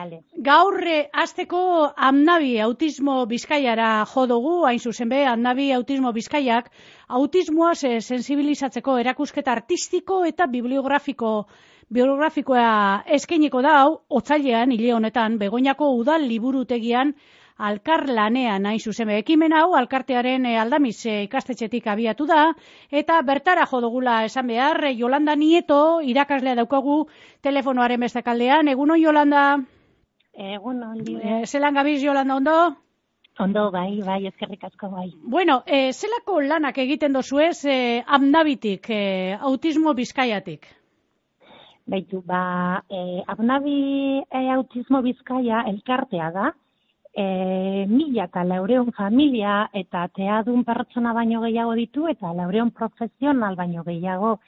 Vale. Gaur hasteko Amnabi autismo Bizkaiara jo dugu, hain zuzen be, Amnabi autismo Bizkaiak autismoaz sensibilizatzeko erakusketa artistiko eta bibliografikoa eskainiko da hau otsailean hile honetan Begoñako udal liburutegian Alkarlanean hain zuzen be. Ekimen hau Alkartearen Aldamiz ikastetxetik abiatu da eta bertara jo dugula esan behar Yolanda Nieto irakaslea daukagu telefonoaren beste kaldean. Egunon Yolanda. Egunon. Zelan gabiz Yolanda, ondo? Ondo, bai, eskerrik asko bai. Bueno, zelako lanak egiten dozuez Amnabitik, autismo Bizkaiatik? Beitu, Amnabi autismo Bizkaia elkartea da. 1.400 familia eta teadun pertsona baino gehiago ditu eta 400 profesional baino gehiago.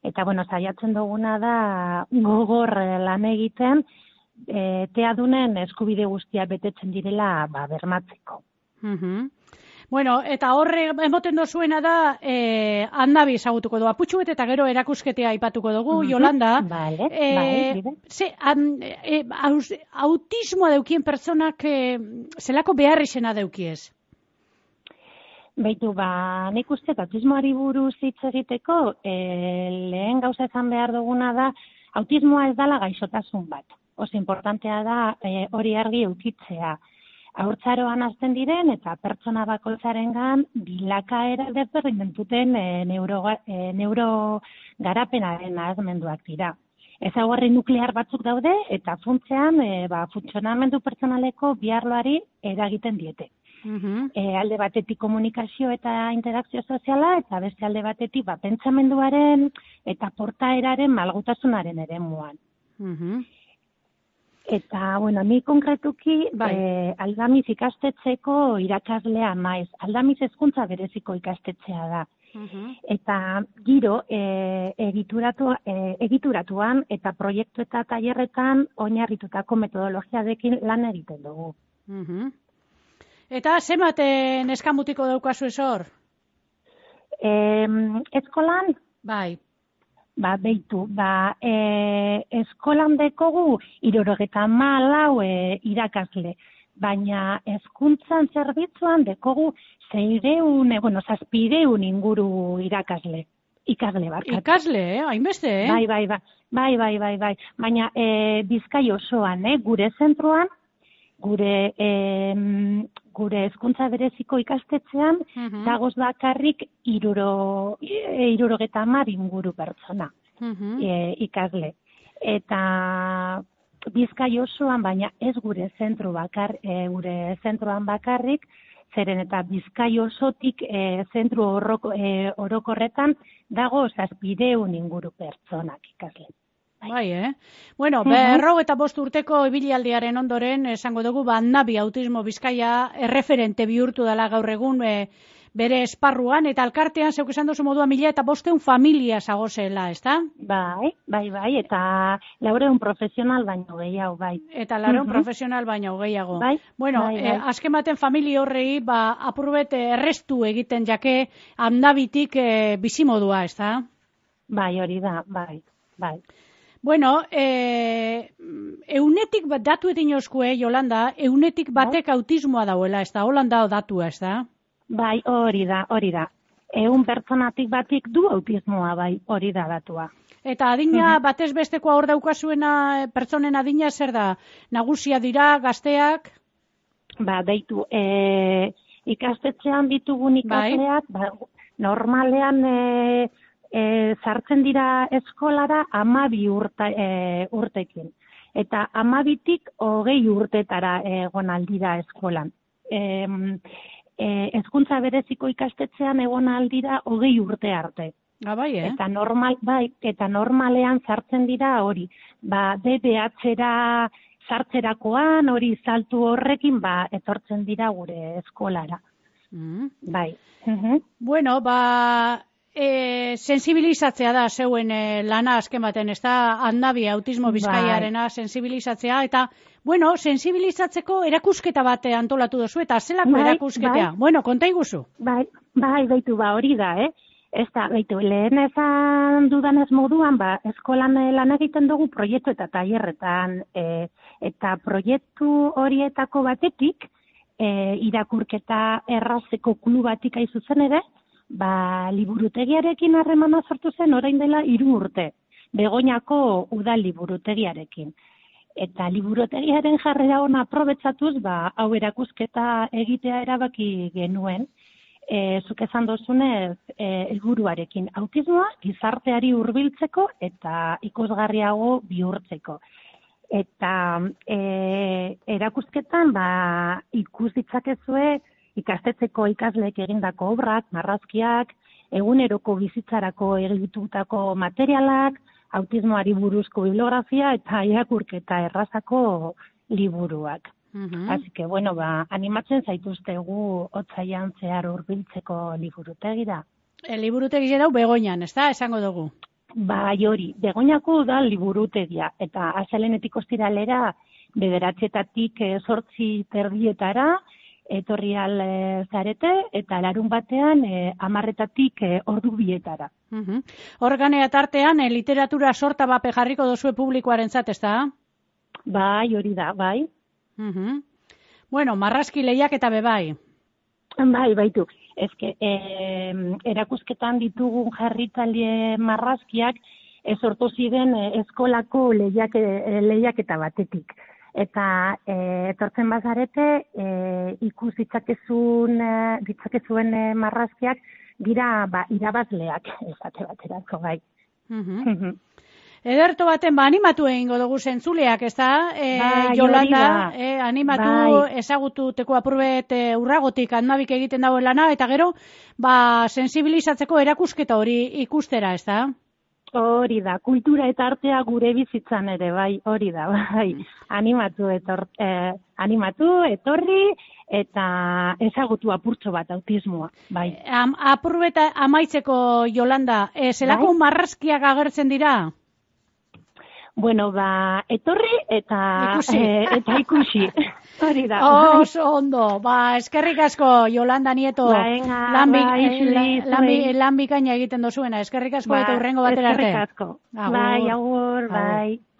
Eta, saiatzen duguna da gogor lan egiten teadunen eskubide guztiak betetzen direla bermatzeko. Bueno, eta horre emoten dozuena da Amnabi ezagutuko du. Aputxuet eta gero erakusketea aipatuko dugu, Yolanda. Vale, autismoa daukien pertsonak zelako beharrizena daukiez? Beitu, nik uste autismoari buruz hitz egiteko lehen gauza esan behar duguna da autismoa ez dela gaixotasun bat. Oso importantea da hori argi eukitzea. Haurtzaroan hasten diren eta pertsona bakoitzarengan bilakaera desberdin duten neurogarapenaren nahasmenduak dira. Ezaugarri nuklear batzuk daude eta funtsean funtzionamendu pertsonaleko bi arloari eragiten diete. Alde batetik komunikazio eta interakzio soziala eta beste alde batetik pentsamenduaren eta portaeraren malgutasunaren eremuan. Eta, ni konkretuki Aldamiz ikastetxeko irakaslea naiz. Aldamiz hezkuntza bereziko ikastetxea da. Eta giro egituratuan eta proiektu eta tailerretan oinarritutako metodologiarekin lan egiten dugu. Eta zenbaten eskamutiko daukazu hor? Eskolan? Bai. Beitu, eskolan dekogu 74 irakasle, baina hezkuntzan zerbitzuan dekogu 700 inguru ikasle barkatu. Ikasle, hainbeste, Bai. Baina Bizkai osoan, gure zentroan, gure hezkuntza bereziko ikastetxean, dagoz bakarrik 70 inguru pertsona ikasle. Eta Bizkai osoan, baina ez gure zentroan bakarrik, zeren eta Bizkai osotik zentru orokorretan dago 700 inguru pertsonak ikasle. Bai, Bueno, 55 urteko ibilialdiaren ondoren, esango dugu, Amnabi autismo Bizkaia erreferente bihurtu dela gaur egun bere esparruan, eta alkartean, zeuk esan dozu modua 1.500 familia zagozela, ezta? Bai, eta 400 profesional baino gehiago, bai. Eta 400 profesional baino gehiago. Bai. Bueno, azken baten familia horrei, apurbet errestu egiten jake Amnabitik bizimodua, ezta? Bai, hori da, bai. Bueno, eunetik datu edin oskue, Yolanda, eunetik batek autismoa dauela, ez da, Holanda datua, ez da? Bai, hori da. 100 pertsonatik batik du autismoa, bai, hori da datua. Eta adina batez bestekoa hor daukazuena pertsonen adina zer da? Nagusia dira, gazteak? Beitu, ikastetxean ditugun ikasleak, normalean sartzen dira eskolara 12 urtekin. Eta 12tik 20 urtetara egon aldira eskolan. Hezkuntza bereziko ikastetxean egon aldira 20 urte arte. Bai, Eta normalean sartzen dira hori. DBH-era sartzerakoan, hori saltu horrekin, etortzen dira gure eskolara. Bai. Bueno, sensibilizatzea da zeuen lana azken baten, ez da, Amnabi autismo Bizkaiarena sensibilizatzea, eta, sensibilizatzeko erakusketa bat antolatu duzu, eta zelako erakusketea? Bueno, konta iguzu. Beitu, hori da, Ez da, baitu, lehen esan dudanez moduan, eskolan lan egiten dugu proiektu eta tailerretan, eta proiektu horietako batetik, irakurketa errazeko klubatik aizuzen ere, liburutegiarekin harremana sortu zen orain dela 3 urte, Begoñako udal liburutegiarekin. Eta liburutegiaren jarrera ona aprobetxatuz, hau erakusketa egitea erabaki genuen, zuk esan dozunez, helburuarekin autismoa gizarteari hurbiltzeko eta ikusgarriago bihurtzeko. Eta erakusketan ikus ditzakezue ikastetxeko ikasleek egindako obrak, marrazkiak, eguneroko bizitzarako egitutako materialak, autismoari buruzko bibliografia eta irakurketa errazako liburuak. Así que, animatzen zaituztegu otsailean zehar hurbiltzeko liburutegira. Liburutegi hau Begoñan, ez da, esango dugu? Bai hori, Begoñako da liburutegia, eta astelehenetik ostiralera 9:00-etatik 8:30 etorri al zarete, eta larunbatean 10:00-etatik 2:00. Horganea tartean, literatura sorta bape jarriko dozue publikoarentzat, ez da? Bai, hori da, bai. Bueno, marrazki lehiak eta bebai. Bai, baitu. Ezke, erakusketan ditugun jarritzaile marrazkiak sortu ziren eskolako lehiaketa batetik. Eta etortzen bazarete, ikus ditzakezuen marrazkiak dira irabazleak, esate baterako bai. Ederto baten, animatu egingo dugu zentzuleak, ez da? Yolanda, animatu ezagututeko apurbet urragotik handabik egiten dagoen lana, eta gero, sensibilizatzeko erakusketa hori ikustera, ez da? Hori da, kultura eta artea gure bizitzan ere, bai, hori da, bai. Animatu, etorri, eta ezagutu apurtxo bat autismoa, bai. Apurbet amaitzeko, Yolanda, zelako marrazkiak agertzen dira? Bueno, etorri eta ikusi. Hori da. Oso ondo. Eskerrik asko, Yolanda Nieto. Lan bikaina egiten dozuena. Eskerrik asko eta hurrengo batera arte. Eskerrik asko. Bai, agur, bai.